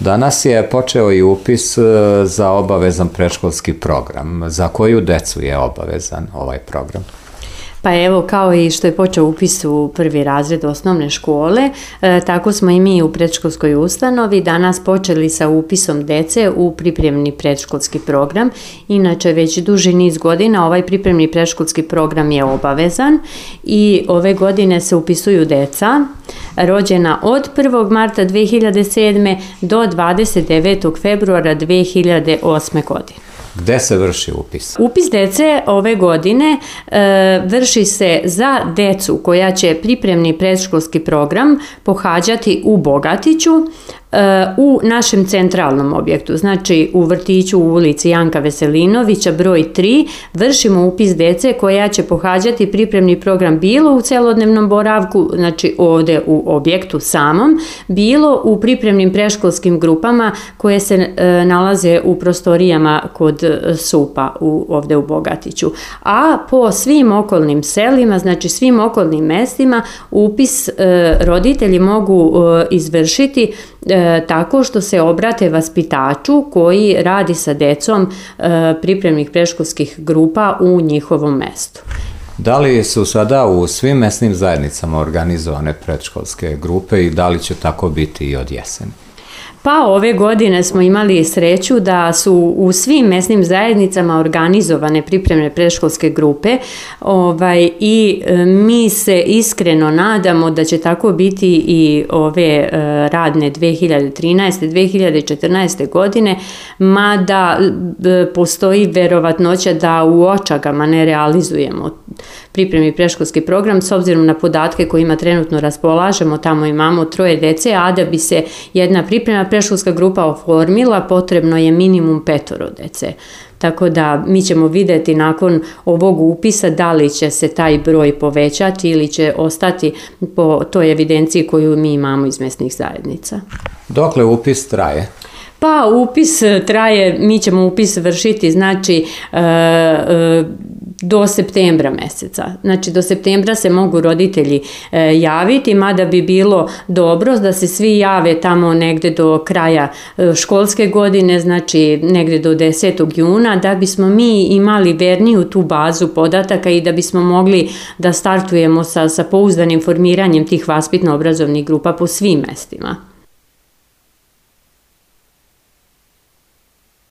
Danas je počeo i upis za obavezan predškolski program. Za koju decu je obavezan ovaj program? Pa evo, kao i što je počeo upis u prvi razred osnovne škole, tako smo i mi u predškolskoj ustanovi danas počeli sa upisom dece u pripremni predškolski program. Inače, već duži niz godina ovaj pripremni predškolski program je obavezan i ove godine se upisuju deca rođena od 1. marta 2007. do 29. februara 2008. godine. Gde se vrši upis? Upis dece ove godine vrši se za decu koja će pripremni predškolski program pohađati u Bogatiću, u našem centralnom objektu, znači u vrtiću u ulici Janka Veselinovića broj 3, vršimo upis dece koja će pohađati pripremni program bilo u celodnevnom boravku, znači ovde u objektu samom, bilo u pripremnim predškolskim grupama koje se nalaze u prostorijama kod SUP-a ovde u Bogatiću. A po svim okolnim selima, znači svim okolnim mestima, upis roditelji mogu izvršiti tako što se obrate vaspitaču koji radi sa decom pripremnih predškolskih grupa u njihovom mestu. Da li su sada u svim mesnim zajednicama organizovane predškolske grupe i da li će tako biti i od jeseni? Pa ove godine smo imali sreću da su u svim mesnim zajednicama organizovane pripremne predškolske grupe i mi se iskreno nadamo da će tako biti i ove radne 2013. 2014. godine, mada postoji verovatnoća da u očagama ne realizujemo pripremni predškolski program s obzirom na podatke kojima trenutno raspolažemo. Tamo imamo 3 dece, a da bi se jedna pripremna predškolska grupa oformila, potrebno je minimum 5 dece. Tako da mi ćemo videti nakon ovog upisa da li će se taj broj povećati ili će ostati po toj evidenciji koju mi imamo iz mesnih zajednica. Dokle upis traje? Pa upis traje, mi ćemo upis vršiti znači do septembra meseca. Znači do septembra se mogu roditelji javiti, mada bi bilo dobro da se svi jave tamo negde do kraja školske godine, znači negde do 10. juna, da bismo mi imali verniju tu bazu podataka i da bismo mogli da startujemo sa pouzdanim formiranjem tih vaspitno-obrazovnih grupa po svim mestima.